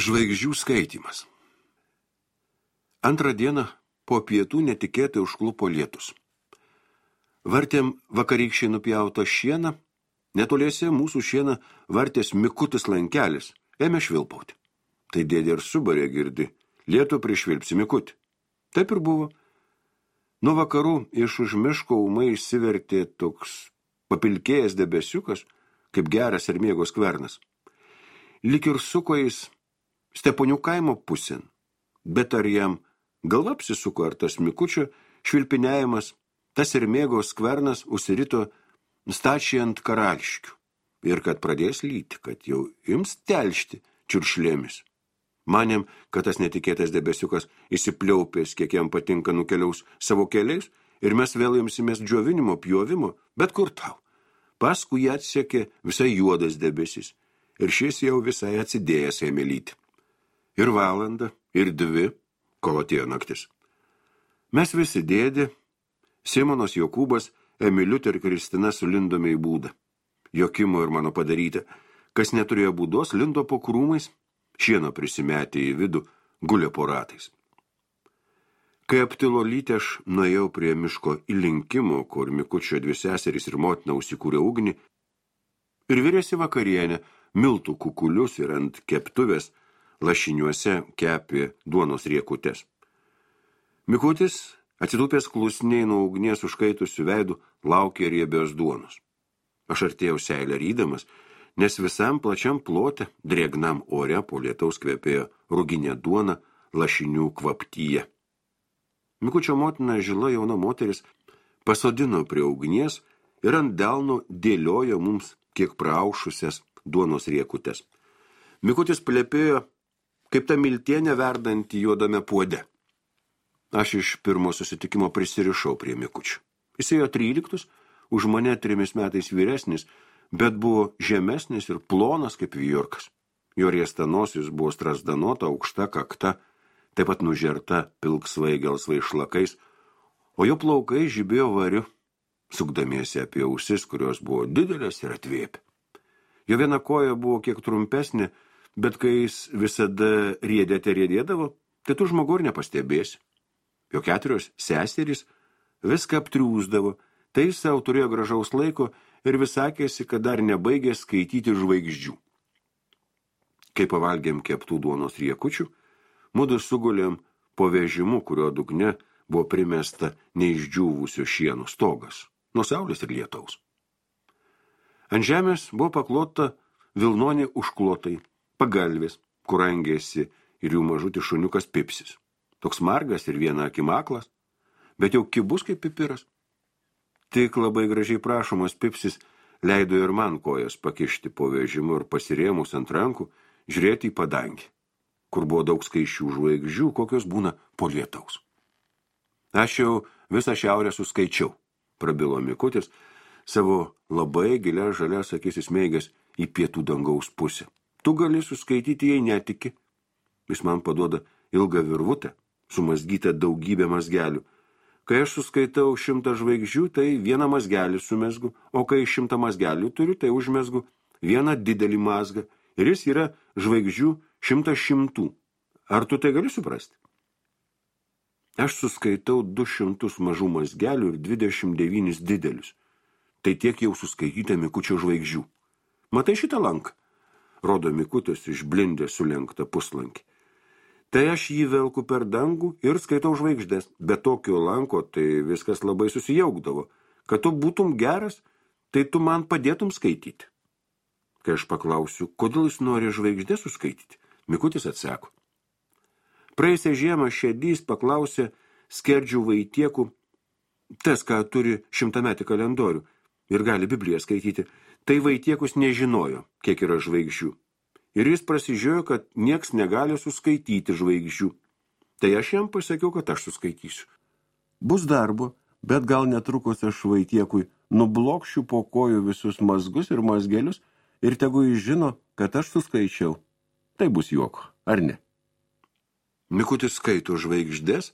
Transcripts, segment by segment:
Žvaigždžių skaitymas. Antrą dieną po pietų netikėtai užklupo lietus. Vartėm vakarykščiai nupjauto šieną, netoliese mūsų šieną vartės Mikutis lankelis, ėmė švilpauti. Tai dėdė ir subarė girdi, lietų prišvilpsi Mikutį. Taip ir buvo. Nuo vakarų iš už miško ūmai išsivertė toks papilkėjęs debesiukas, kaip geras ir mėgos skvernas. Lik ir suko jis Steponių kaimo pusėn, bet ar jam galva apsisuko, ar tas Mikučio švilpinėjimas, tas ir mėgos skvernas užsirito stačiai ant karališkių ir kad pradės lyti, kad jau ims telšti čiuršlėmis. Manėm, kad tas netikėtas debesiukas įsipliaupės, kiek jam patinka nukeliaus savo keliais ir mes vėl imsimės džiovinimo, pjovimo, bet kur tau. Paskui jį atsekė visai juodas debesis ir šis jau visai atsidėjęs ėmė lyti. Ir valandą, ir 2, kol atėjo naktis. Mes visi dėdė, Simonas Jokūbas, Emiliutė ir Kristina sulindome į būdą. Jokimo ir mano padaryta, kas neturėjo būdos, lindo po krūmais, šieno prisimetė į vidų, gulė po ratais. Kai aptilo lytė, aš nuėjau prie miško įlinkimo, kur Mikučio 2 seserys ir motina užsikūrė ugnį, ir virėsi vakarienę, miltų kukulius ir ant keptuvės lašiniuose kepė duonos riekutes. Mikutis, atsidūpęs klusniai nuo ugnies užkaitusių veidų, laukė riebios duonos. Aš artėjau seilę rydamas, nes visam plačiam plote, drėgnam ore po lietaus kvepėjo ruginė duona lašinių kvaptyje. Mikučio motina, žila jauna moteris, pasodino prie ugnies ir ant delno dėliojo mums kiek praaušusias duonos riekutes. Mikutis plepėjo, kaip ta miltienė verdanti juodame puode. Aš iš pirmo susitikimo prisirišau prie Mikučio. Jis ėjo 13, už mane 3 metais vyresnis, bet buvo žemesnis ir plonas kaip vijorkas. Jo riesta nosis buvo strasdanota, aukšta kakta, taip pat nužerta pilksvai gelsvai šlakais, o jo plaukai žibėjo variu, sukdamiesi apie ausis, kurios buvo didelės ir atvėpė. Jo viena koja buvo kiek trumpesnė, bet kai jis visada riedėdavo, tai tu žmogų ir nepastebėsi. Jo 4 seserys viską aptriūsdavo, tai jis savo turėjo gražaus laiko ir vis sakėsi, kad dar nebaigė skaityti žvaigždžių. Kai pavalgėm keptų duonos riekučių, mudu sugulėm po vežimu, kurio dugne buvo primesta neišdžiūvusio šieno stogas, nuo saulės ir lietaus. Ant žemės buvo paklota vilnonė užklotai, pagalvės, kur rangėsi ir jų mažutis šuniukas Pipsis. Toks margas ir viena akim aklas, bet jau kibus kaip pipiras. Tik labai gražiai prašomas Pipsis leido ir man kojas pakišti po vežimu ir pasirėmus ant rankų žiūrėti į padangį, kur buvo daug skaisčių žvaigždžių, kokios būna po lietaus. Aš jau visą šiaurę suskaičiau, prabilo Mikutis, savo labai gilia žalias akis įsmeigęs į pietų dangaus pusę. Tu gali suskaityti, jei netiki. Jis man paduoda ilgą virvutę, sumazgytą daugybę mazgelių. Kai aš suskaitau 100 žvaigždžių, tai 1 mazgelį sumezgu, o kai 100 mazgelių turiu, tai užmezgu 1 didelį mazgą. Ir jis yra žvaigždžių 100. Ar tu tai gali suprasti? Aš suskaitau 200 mažų mazgelių ir 29 didelius. Tai tiek jau suskaityta Mikučio žvaigždžių. Matai šitą lanką? Rodo Mikutis išblindę sulenktą puslankį. Tai aš jį velku per dangų ir skaitau žvaigždės. Be tokio lanko tai viskas labai susijaukdavo. Kad tu būtum geras, tai tu man padėtum skaityti. Kai aš paklausiu, kodėl jis nori žvaigždės suskaityti, Mikutis atsako. Praėjusią žiemą Šedys paklausė Skerdžių Vaitiekų, tas, ką turi 100-metį kalendorių ir gali Bibliją skaityti, tai Vaitiekus nežinojo, kiek yra žvaigždžių. Ir jis prasižiojo, kad nieks negali suskaityti žvaigždžių. Tai aš jam pasakiau, kad aš suskaitysiu. Bus darbo, bet gal netrukus aš Vaitiekui nublokšiu po kojų visus mazgus ir mazgelius ir tegu jis žino, kad aš suskaičiau. Tai bus juoko, ar ne? Mikutis skaito žvaigždės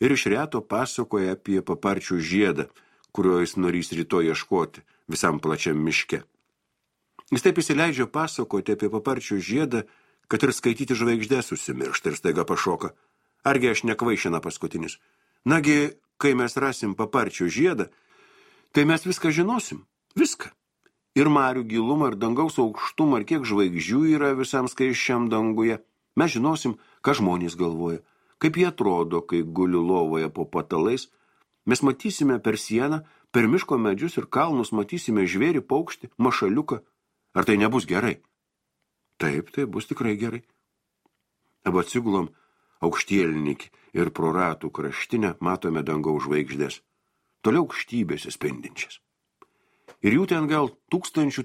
ir iš reto pasakoja apie paparčių žiedą, kurio jis norys rytoj ieškoti visam plačiam miške. Jis taip įsileidžia pasakoti apie paparčių žiedą, kad ir skaityti žvaigždės užsimiršta ir staiga pašoka. Argi aš nekvaišina paskutinis? Nagi, kai mes rasim paparčio žiedą, tai mes viską žinosim. Viską. Ir marių gilumą, ir dangaus aukštumą, ir kiek žvaigždžių yra visam skaisčiam danguje. Mes žinosim, ką žmonės galvoja, kaip jie atrodo, kai guli lovoje po patalais. Mes matysime per sieną, per miško medžius ir kalnus, matysime žvėrį, paukštį, mašaliuką. Ar tai nebus gerai? Taip, tai bus tikrai gerai. Abu atsigulom aukštielnikį ir pro ratų kraštinę matome dangaus žvaigždės. Toliau aukštybėse spindinčias. Ir jų ten gal tūkstančių,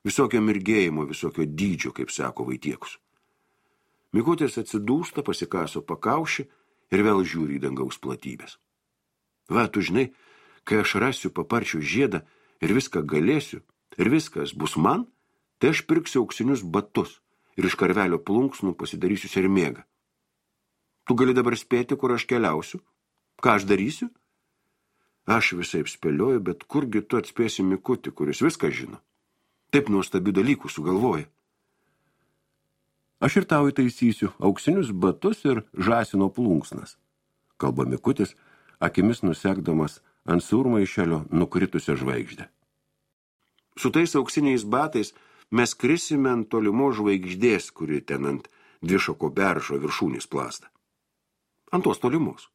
visokio mirgėjimo, visokio dydžio, kaip sako Vaitiekus. Mikutis atsidūsta, pasikaso pakaušį ir vėl žiūri į dangaus platybės. Va, tu žinai, kai aš rasiu paparčio žiedą ir viską galėsiu, ir viskas bus man, tai aš pirksiu auksinius batus ir iš karvelio plunksnų pasidarysiu sermėgą. Tu gali dabar spėti, kur aš keliausiu? Ką aš darysiu? Aš visaip spėlioju, bet kurgi tu atspėsi Mikutį, kuris viską žino. Taip nuostabių dalykų sugalvoja. Aš ir tau įtaisysiu auksinius batus ir žąsino plunksnas, kalba Mikutis, akimis nusekdamas ant surmaišelio nukritusią žvaigždę. Su tais auksiniais batais mes krisime ant tolimos žvaigždės, kuri ten ant dvišako beržo viršūnės plazda. Ant tos tolimos.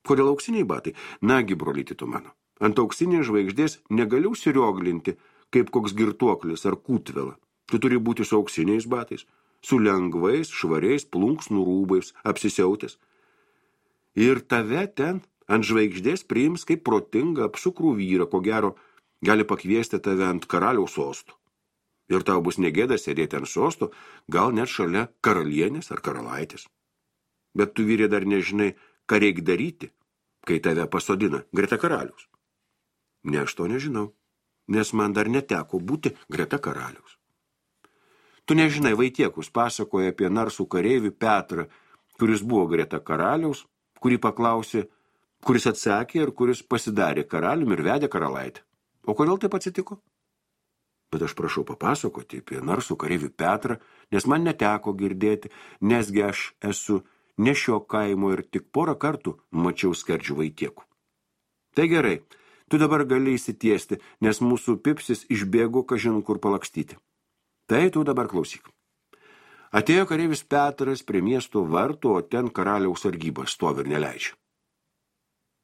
Kodėl auksiniai batai? Nagi, brolyti tu mano. Ant auksinės žvaigždės negali užsirioglinti, kaip koks girtuoklis ar kūtvela. Tu turi būti su auksiniais batais, su lengvais, švariais plunksnų rūbais, apsisiautęs. Ir tave ten ant žvaigždės priims kaip protingą apsukrų vyrą, ko gero gali pakviesti tave ant karaliaus sosto. Ir tau bus negėda sėdėti ant sosto, gal net šalia karalienės ar karalaitės. Bet tu, vyrė, dar nežinai, ką reik daryti, kai tave pasodina greta karaliaus. Ne, aš to nežinau, nes man dar neteko būti greta karaliaus. Tu nežinai, Vaitiekus pasakoja apie narsų kareivį Petrą, kuris buvo greta karaliaus, kurį paklausė, kuris atsakė ir kuris pasidarė karaliumi ir vedė karalaitę. O kodėl taip atsitiko? Bet aš prašau papasakoti apie narsų kareivį Petrą, nes man neteko girdėti, nesgi aš esu ne šio kaimo ir tik porą kartų mačiau skerdžių Vaitiekų. Tai gerai, tu dabar gali įsitiesti, nes mūsų pipsis išbėgo kažin kur palakstyti. Tai tu dabar klausyk. Atėjo kareivis Petras prie miesto vartų, o ten karaliaus sargyba stovi ir neleidžia.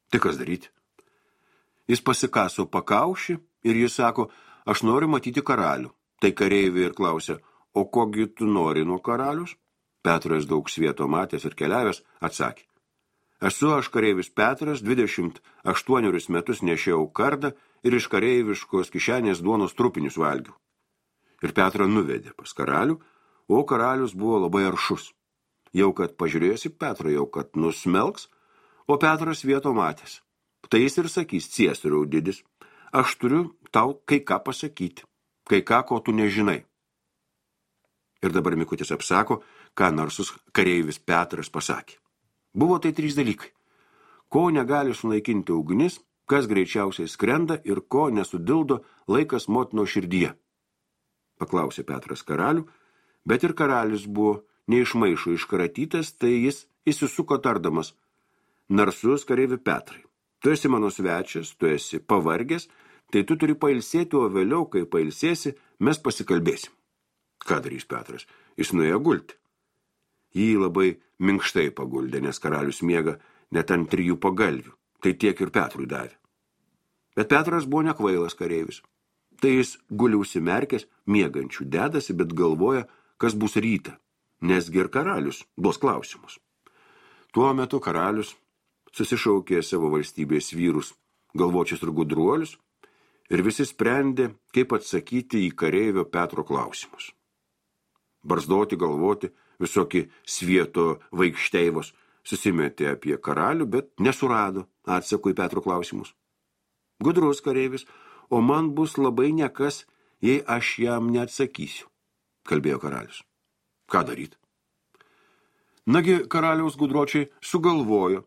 Tai kas daryti? Jis pasikaso pakaušį ir jis sako, aš noriu matyti karalių. Tai kareiviai ir klausia, o kogi tu nori nuo karalius? Petras daug svieto matęs ir keliavęs atsakė. Esu aš kareivis Petras, 28 metus nešiau kardą ir iš kareiviškos kišenės duonos trupinius valgiau. Ir Petrą nuvedė pas karalių, o karalius buvo labai aršus. Jau kad pažiūrėjęs į Petrą, jau kad nusmelks, o Petras vieto matęs. Tai jis ir sakys, ciesoriau didis, aš turiu tau kai ką pasakyti, kai ką, ko tu nežinai. Ir dabar Mikutis apsako, ką narsus kareivis Petras pasakė. Buvo tai 3 dalykai. Ko negali sunaikinti ugnis, kas greičiausiai skrenda ir ko nesudildo laikas motino širdyje. Paklausė Petras karalių, bet ir karalius buvo neišmaišo iškratytas, tai jis įsisuko tardamas, narsus kareivi Petrai, tu esi mano svečias, tu esi pavargęs, tai tu turi pailsėti, o vėliau, kai pailsėsi, mes pasikalbėsim. Ką darys Petras? Jis nuėjo gulti. Jį labai minkštai paguldė, nes karalius miega net ant 3 pagalvių, tai tiek ir Petrui davė. Bet Petras buvo nekvailas kareivis. Tai jis guli užsimerkęs, miegančių dedasi, bet galvoja, kas bus rytą, nesgi ir karalius duos klausimus. Tuo metu karalius susišaukė savo valstybės vyrus, galvočius ir gudruolius, ir visi sprendė, kaip atsakyti į kareivio Petro klausimus. Barzdoti, galvoti, visokie svieto vaikšteivos susimetė apie karalių, bet nesurado atsako į Petro klausimus. Gudrus kareivis, o man bus labai nekas, jei aš jam neatsakysiu, kalbėjo karalius. Ką daryti? Nagi, karaliaus gudročiai sugalvojo.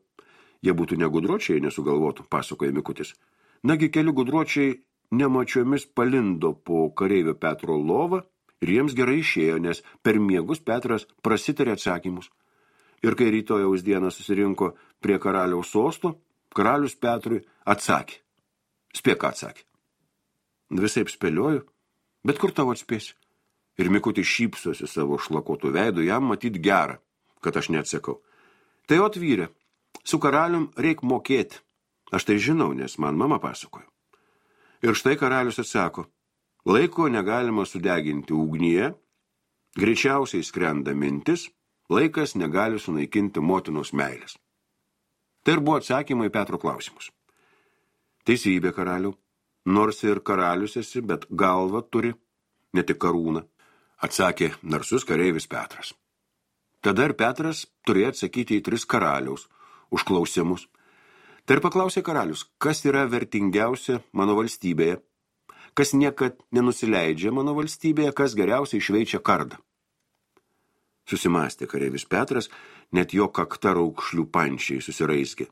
Jie būtų negudročiai, nesugalvotų, pasakoja Mikutis. Nagi, keli gudročiai nemačiomis palindo po kareivio Petro lovą Ir jiems gerai išėjo, nes per miegus Petras prasitarė atsakymus. Ir kai rytojaus dieną susirinko prie karaliaus sosto, karalius Petrui atsakė. Spėk, ką atsakė. Visaip spėlioju, bet kur tavo atspėsi? Ir Mikutis šypsosi savo šlakotų veidų, jam matyt gera, kad aš neatsakau. Tai atvyrė, su karalium reik mokėti. Aš tai žinau, nes man mama pasakojo. Ir štai karalius atsako, laiko negalima sudeginti ugnyje, greičiausiai skrenda mintis, laikas negali sunaikinti motinos meilės. Tai ir buvo atsakymai į Petro klausimus. Teisybė, karaliau, nors ir karalius esi, bet galva turi, ne tik karūną, atsakė narsus kareivis Petras. Tada ir Petras turėjo atsakyti į 3 karaliaus užklausimus. Tai ir paklausė karalius, kas yra vertingiausia mano valstybėje, kas niekad nenusileidžia mano valstybėje, kas geriausiai šveičia kardą. Susimastė kareivis Petras, net jo kakta raukšlių pančiai susiraizgė.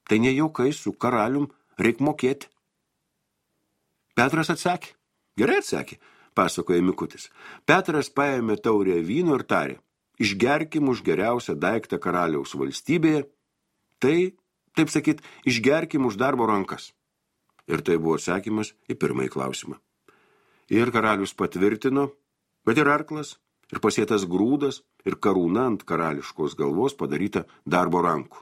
Tai ne juokai, su karalium reik mokėti. Petras atsakė. Gerai atsakė, pasakoja Mikutis. Petras paėmė taurę vyno ir tarė, išgerkim už geriausią daiktą karaliaus valstybėje, tai, taip sakyt, išgerkim už darbo rankas. Ir tai buvo atsakymas į pirmąjį klausimą. Ir karalius patvirtino, bet ir arklas, ir pasėtas grūdas, ir karūna ant karališkos galvos padaryta darbo rankų.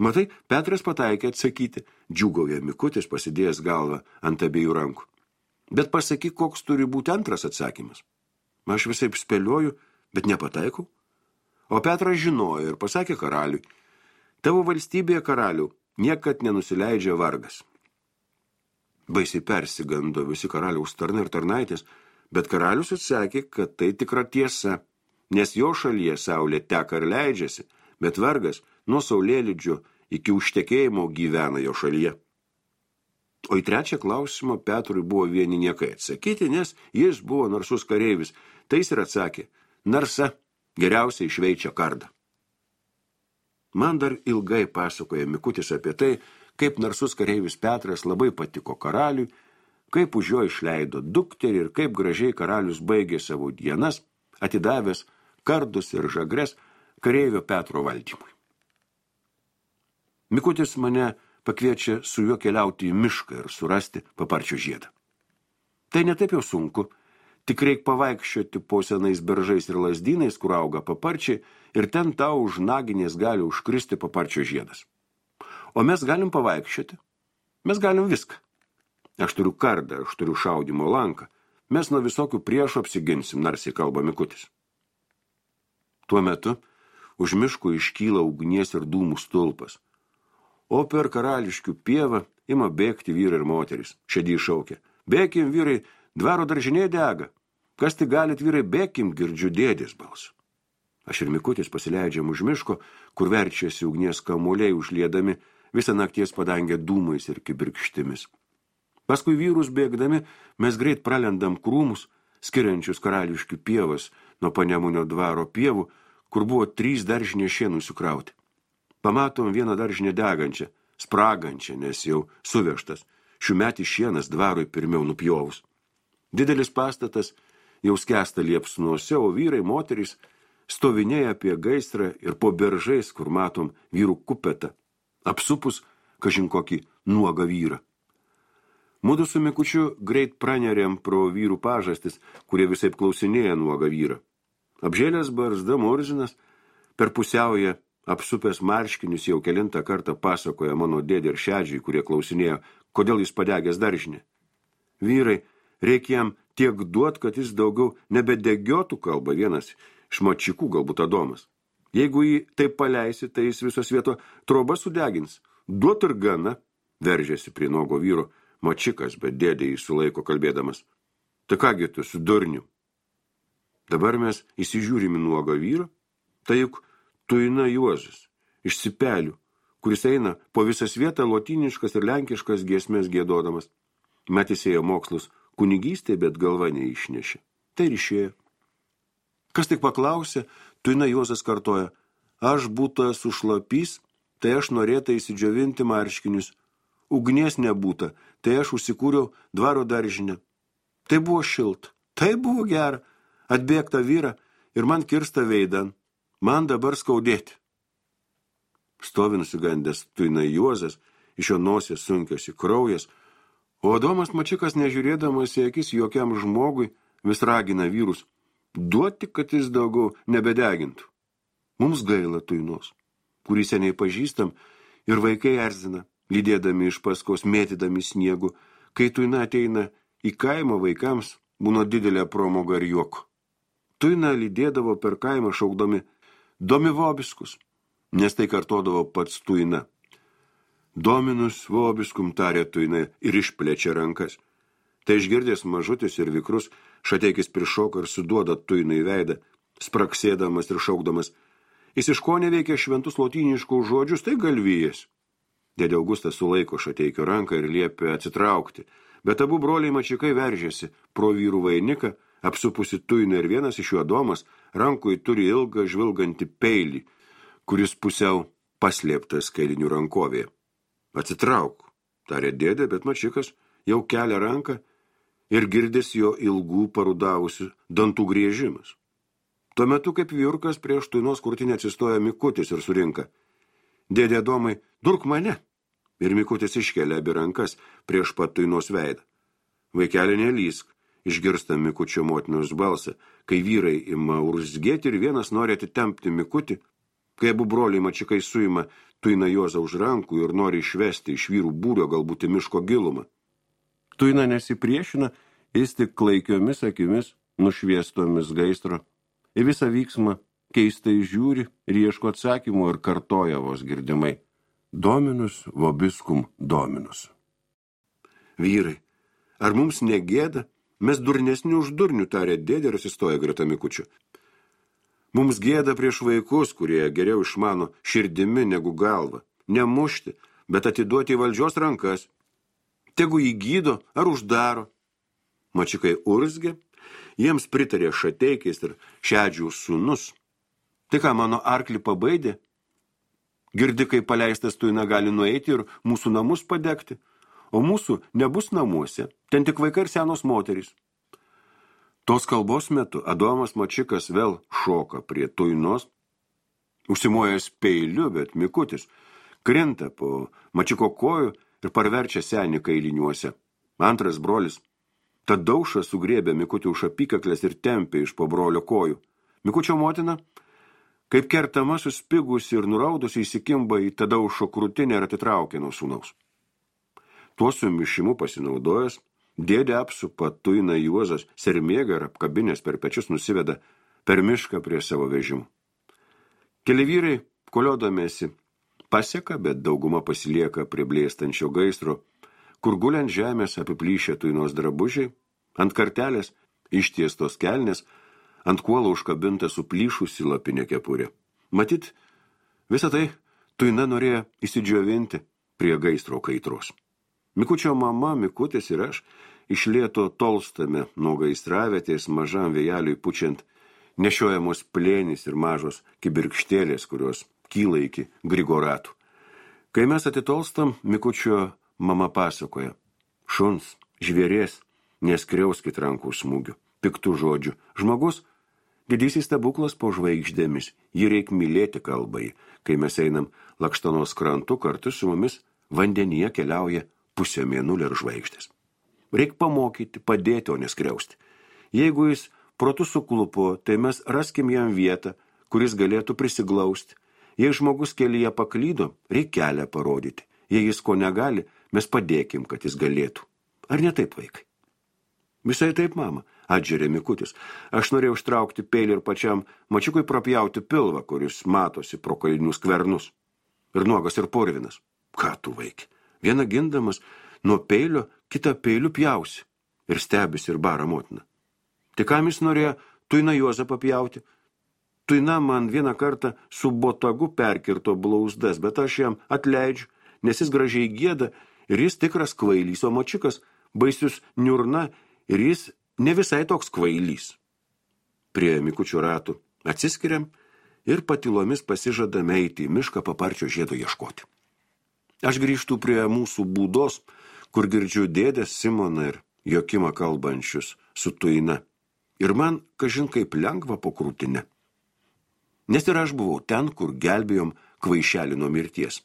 Matai, Petras pataikė atsakyti, džiūgauja Mikutis pasidėjęs galvą ant abiejų rankų. Bet pasakyk, koks turi būti antras atsakymas. Aš visaip spėlioju, bet nepataikau. O Petras žinojo ir pasakė karaliui, tavo valstybėje, karaliau, niekad nenusileidžia vargas. Baisiai persigando visi karaliaus tarnai ir tarnaitės, bet karalius atsakė, kad tai tikra tiesa, nes jo šalyje saulė teka ir leidžiasi, bet vargas nuo saulėlydžio iki užtekėjimo gyvena jo šalyje. O į trečią klausimą Petrui buvo vieni niekai atsakyti, nes jis buvo narsus kareivis. Tai jis ir atsakė, narsa geriausiai šveičia kardą. Man dar ilgai pasakoja Mikutis apie tai, kaip narsus kareivis Petras labai patiko karaliui, kaip už jo išleido dukterį ir kaip gražiai karalius baigė savo dienas, atidavęs kardus ir žagres kareivio Petro valdymui. Mikutis mane pakviečia su juo keliauti į mišką ir surasti paparčio žiedą. Tai netaip jau sunku, tik reik pavaikščioti po senais beržais ir lazdynais, kur auga paparčiai, ir ten tau už naginės gali užkristi paparčio žiedas. O mes galim pavaikščioti, mes galim viską. Aš turiu kardą, aš turiu šaudymo lanką, mes nuo visokių priešų apsiginsim, narsiai kalba Mikutis. Tuo metu už miškų iškyla ugnies ir dūmų stulpas, o per karališkių pievą ima bėgti vyrai ir moteris. Šedį šaukia, bėkim vyrai, dvaro daržinė dega, kas tik galit vyrai bėkim, girdžiu dėdės balsą. Aš ir Mikutis pasileidžiam už miško, kur verčiasi ugnies kamuoliai užliedami visą nakties padangę dūmais ir kibirkštimis. Paskui vyrus bėgdami mes greit pralendam krūmus, skiriančius karališkių pievas nuo Panemunio dvaro pievų, kur buvo 3 daržinės šienų sukrauti. Pamatom vieną daržinę degančią, spragančią, nes jau suvežtas, šiųmetis šienas dvarui pirmiau nupjovus. Didelis pastatas jau skęsta liepsnuose, o vyrai, moterys stovinėja apie gaisrą ir po beržais, kur matom vyrų kupetą, apsupus kažin kokį nuogą vyrą. Mudu su Mikučiu greit pranerėm pro vyrų pažastis, kurie visaip klausinėja nuogą vyrą. Apžėlęs barzda Murzinas per pusiaują apsupęs marškinius jau kelintą kartą pasakoja mano dėdė ir šedžiai, kurie klausinėjo, kodėl jis padegęs daržinę. Vyrai, reikia jam tiek duot, kad jis daugiau nebedegiotų, kalba vienas iš močikų, galbūt Adomas. Jeigu jį taip paleisi, tai jis visos vieto trobą sudegins. Duot ir gana, veržėsi prie nuogo vyro močikas, bet dėdė jį sulaiko kalbėdamas. Tai kągi tu su durniu? Dabar mes įsižiūrime nuogą vyrą, tai juk Tuina Juozas, iš Sipelių, kuris eina po visas vietą lotyniškas ir lenkiškas giesmės giedodamas. Matys ėjo mokslus kunigystė, bet galva neišnešė. Tai ir išėjo. Kas tik paklausė, Tuina Juozas kartoja, aš būta sušlapys, tai aš norėta įsidžiovinti marškinius. Ugnies nebūta, tai aš užsikūriau dvaro daržinę. Tai buvo šilta, Tai buvo gera, atbėgta vyra ir man kirsta veidan, man dabar skaudėti. Stovi nusigandęs Tuina Juozas, iš jo nosės sunkiasi kraujas, o Adomas Mačikas, nežiūrėdamas į akis jokiam žmogui, vis ragina vyrus, duoti, kad jis daugiau nebedegintų. Mums gaila Tuinos, kurį seniai pažįstam, ir vaikai erzina, lydėdami iš paskos, mėtydami sniegu, kai Tuina ateina į kaimą vaikams, būna didelė promoga ir juoko. Tuina lydėdavo per kaimą šaukdami Domi vobiskus, nes tai kartodavo pats Tuina. Dominus vobiskum, tarė Tuina ir išplečia rankas. Tai išgirdęs mažutis ir vikrus, Šateikis prišoka ir suduoda Tuinai veidą, spraksėdamas ir šaukdamas. Jis iš ko neveikia šventus lotyniškus žodžius, tai galvijas. Dėdė Augustas sulaiko Šateikio ranką ir liepia atsitraukti, bet abu broliai Mačikai veržėsi pro vyrų vainiką, apsupusi Tuiną ir vienas iš jų Adomas rankoje turi ilgą žvilgantį peilį, kuris pusiau paslėptas kailinių rankovėje. Atsitrauk, tarė dėdė, bet Mačikas jau kelia ranką ir girdės jo ilgų parudavusių dantų griežimas. Tuo metu, kaip vyrukas prieš Tuinos krūtinę atsistoja Mikutis ir surinka. Dėdė Adomai, durk mane. Ir Mikutis iškelia abi rankas prieš pat Tuinos veidą. Vaikeli nelysk, išgirsta Mikučio motinos balsą, kai vyrai ima urzgėti ir vienas nori atitempti Mikutį, kai abu broliai Mačikai suima Tuiną Juozą už rankų ir nori išvesti iš vyrų būrio galbūt į miško gilumą. Tuina nesipriešina, jis tik klaikiomis akimis, nušviestomis gaisro. Į visą vyksmą keistai žiūri ir ieško atsakymų ir kartoja vos girdimai. Dominus vobiskum dominus. Vyrai, ar mums negėda? Mes durnesni už durnių, tarė dėdė ir atsistoja greta Mikučio. Mums gėda prieš vaikus, kurie geriau išmano širdimi negu galva. Nemušti, bet atiduoti į valdžios rankas. Tegu jį gydo ar uždaro. Mačikai urzgė, jiems pritarė Šateikis ir Šedžių sūnus. Tai ką, mano arklį pabaidė? Girdi, kai paleistas Tuina gali nueiti ir mūsų namus padegti, o mūsų nebus namuose, ten tik vaikai ir senos moterys. Tos kalbos metu Adomas Mačikas vėl šoka prie Tuinos, užsimojęs peiliu, bet Mikutis krinta po Mačiko kojų ir parverčia senį kailiniuose. Antras brolis Tadaušą sugriebė Mikutį už apykaklės ir tempė iš po brolio kojų. Mikučio motina, kaip kertama suspigusi ir nuraudusi, įsikimba į Tadaušo krūtinę ir atitraukė nuo sūnaus. Tuo sumišimu pasinaudojęs, dėdė apsupa Tuiną Juozas, sermėgą ir apkabinės per pečius nusiveda per mišką prie savo vežimų. Keli vyrai, koliodamiesi, paseka, bet dauguma pasilieka prie blėstančio gaisro, kur guliant žemės apiplyšę Tuinos drabužiai, ant kartelės ištiestos kelnės, ant kuolo užkabinta suplyšusi lapinė kepurė. Matyt, visą tai Tuina norėjo įsidžiovinti prie gaisro kaitros. Mikučio mama, Mikutis ir aš iš lėto tolstame nuo gaisravietės mažam vėjeliui pučiant nešiojamos plėnys ir mažos kibirkštėlės, kurios kyla iki grigoratų. Kai mes atitolstam, Mikučio mama pasakoja. Šuns, žvėrės, neskriauskit rankų smūgių, piktų žodžių. Žmogus, didysis stebuklas po žvaigždėmis, jį reik mylėti kalbai. Kai mes einam Lakštanos krantu, kartu su mumis vandenyje keliauja pusė mėnulio ir žvaigždės. Reik pamokyti, padėti, o neskriausti. Jeigu jis protu suklupo, tai mes raskim jam vietą, kuris galėtų prisiglausti. Jei žmogus kelyje paklydo, reik kelią parodyti. Jei jis ko negali, mes padėkim, kad jis galėtų. Ar ne taip, vaikai? Visai taip, mama, atžerė Mikutis. Aš norėjau ištraukti peilį ir pačiam Mačikui prapjauti pilvą, kuris matosi pro kailinių skvernus. Ir nuogas ir purvinas. Ką tu, vaikai? Vieną gindamas nuo peilio, kitą peiliu pjausi. Ir stebisi ir bara motina. Tai kam jis norėjo Tuiną Juozą papjauti? Tuina man vieną kartą su botagu perkirto blauzdas, bet aš jam atleidžiu, nes jis gražiai gieda ir jis tikras kvailys, o Mačikas baisius niurna ir jis ne visai toks kvailys. Prie Mikučio ratų atsiskiriam ir patylomis pasižadame eiti į mišką paparčio žiedo ieškoti. Aš grįžtu prie mūsų būdos, kur girdžiu dėdės Simoną ir Jokimą kalbančius su Tuina. ir man, kažin kaip lengva po krūtinę. Nes ir aš buvau ten, kur gelbėjom kvaišelį nuo mirties.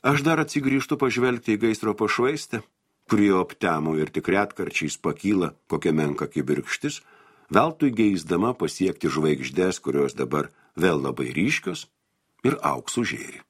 Aš dar atsigrįžtu pažvelgti į gaisro pašvaistę, kurie aptemo ir tik retkarčiais pakyla kokia menka kibirkštis, veltui geisdama pasiekti žvaigždės, kurios dabar vėl labai ryškios ir auksų žėri.